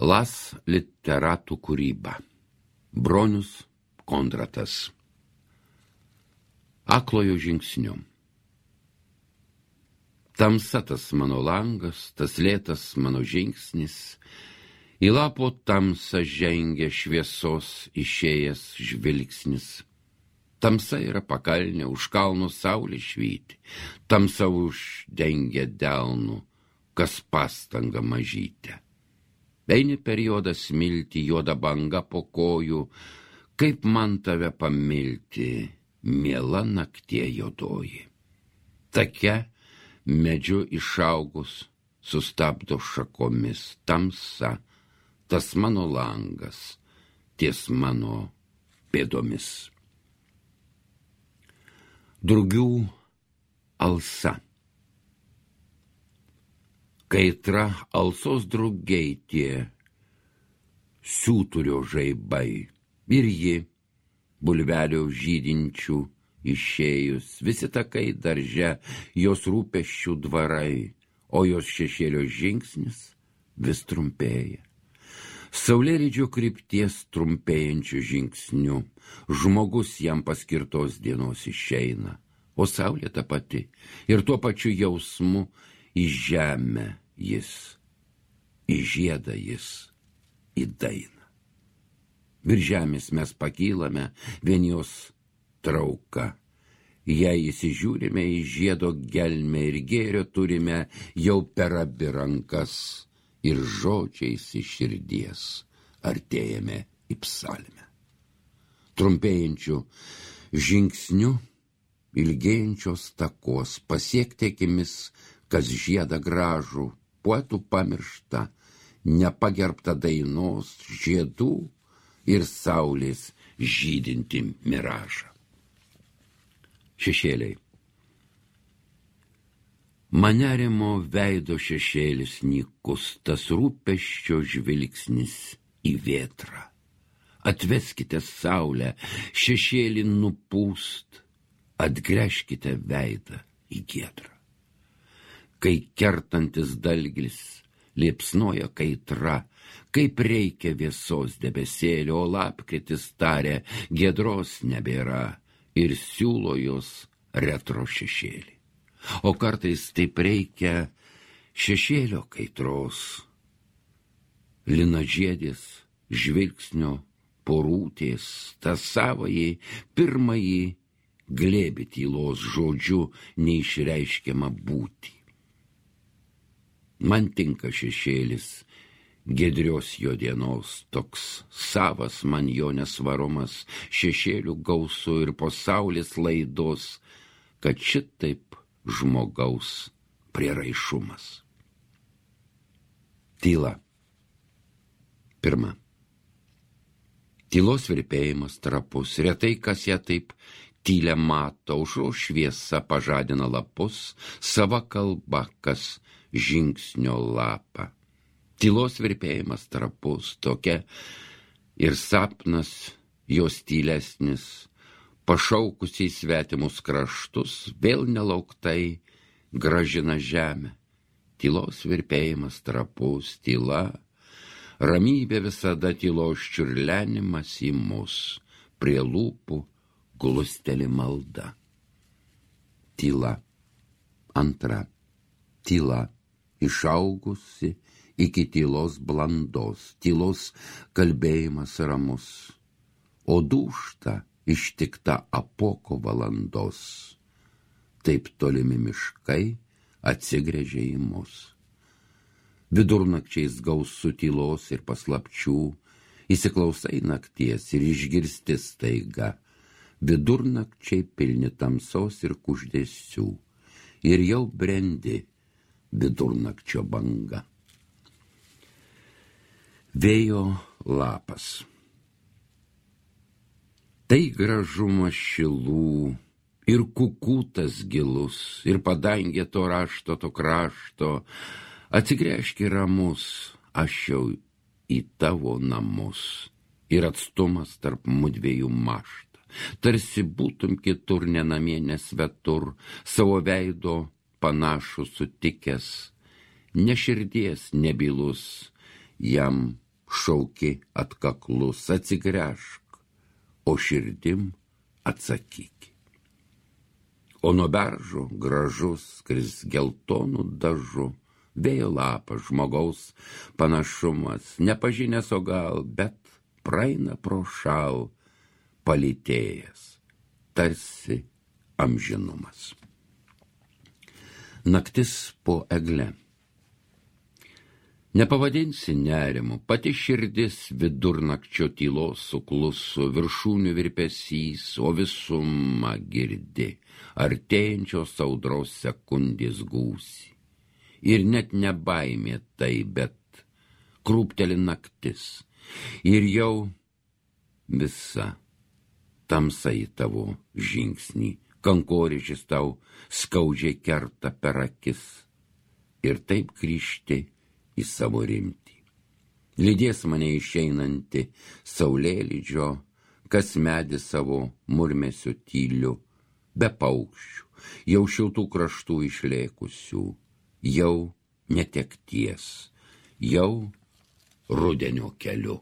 Las literatų kūryba. Bronius Kondratas. Aklojo žingsniu. Tamsa tas mano langas, tas lėtas mano žingsnis, į lapo tamsą žengia šviesos išėjęs žvilgsnis. Tamsa yra pakalnė, už kalno saulė švyti, tamsa uždengia delnų, kas pastanga mažytė. Eini periodą smilti, juoda banga po kojų, kaip man tave pamilti, miela naktie juodoji. Take medžiu išaugus, sustabdo šakomis tamsa, tas mano langas, ties mano pėdomis. Drugių alsa. Kaitra alsos drugiai tie siūturio žaibai, ir ji, bulvelio žydinčių išėjus, visi takai darže, jos rūpesčių dvarai, o jos šešėlio žingsnis vis trumpėja. Saulėlydžio krypties trumpėjančių žingsnių, žmogus jam paskirtos dienos išeina, o saulė ta pati, ir tuo pačiu jausmu į žemę jis, į žiedą jis, į dainą. Virš žemės mes pakylame, vien jos trauka. Jei įsižiūrime į žiedo gelmę ir gėrio turime jau per abi rankas ir žodžiais iš širdies artėjame į psalmę. Trumpėjančių žingsnių, ilgėjančios takos, pasiekti akimis, kas žiedą gražų, poetų pamiršta, nepagerbta dainos, žiedų ir saulės žydinti miražą. Šešėliai. Manerimo veido šešėlis nykus, tas rūpesčio žvilgsnis į vėtrą. Atveskite saulę, šešėlį nupūst, atgręžkite veidą į giedrą. Kai kertantis dalgis liepsnoja kaitra, kaip reikia vėsos debesėlio, o lapkritis tarė, giedros nebėra ir siūlo jos retro šešėlį. O kartais taip reikia šešėlio kaitros, linažiedės žvilgsnio porūtės, tą savąjį pirmąjį glėbį tylos žodžiu neišreiškiamą būtį. Man tinka šešėlis giedrios jo dienos, toks savas man jo nesvarumas, šešėlių gausu ir po saulės laidos, kad šitaip žmogaus prieraišumas. Tyla. Pirma. Tylos virpėjimas trapus, retai kas ją taip tylę mato, aušros šviesa pažadina lapus, sava kalba, kas žingsnio lapą. Tylos virpėjimas trapus, tokia ir sapnas jos tylesnis, pašaukusiai svetimus kraštus, vėl nelauktai gražina žemę. Tylos virpėjimas trapus, tyla, ramybė visada tylos čiurlenimas į mus, prie lūpų glusteli malda. Tyla. Antra. Tyla. Išaugusi iki tylos blandos, tylos kalbėjimas ramus, o dūšta ištikta apoko valandos. Taip tolimi miškai atsigręžė į mus. Vidurnakčiais gausu tylos ir paslapčių, įsiklausai nakties ir išgirsti staiga, vidurnakčiai pilni tamsos ir kuždesių, ir jau brendi vidurnakčio banga. Vėjo lapas. Tai gražumas šilų, ir kukutas gilus, ir padangė to rašto, to krašto, atsigręžki ramus, aš jau į tavo namus, ir atstumas tarp mudviejų mašta, tarsi būtum kitur nenamie nesvetur, savo veido panašų sutikęs, ne širdies nebylus, jam šauki atkaklus, atsigręžk, o širdim atsakyk. O nuo beržo gražus, kris geltonų dažu, vėjo lapas žmogaus panašumas, nepažinęs o gal, bet praeina pro šal, palytėjęs, tarsi amžinumas. Naktis po egle. Nepavadinsi nerimu, pati širdis vidurnakčio tylos sukluso, viršūnių virpesys, o visumą girdi, artėjančios audros sekundės gūsi. Ir net ne baimė tai, bet krūpteli naktis, ir jau visa tamsa į tavo žingsnį, kankorėžis tau skaudžiai kerta per akis, ir taip grįžti į savo rimtį. Lydės mane išeinanti saulėlydžio, kas medį savo murmesiu tyliu, be paukščių, jau šiltų kraštų išlėkusių, jau netekties, jau rudenio keliu.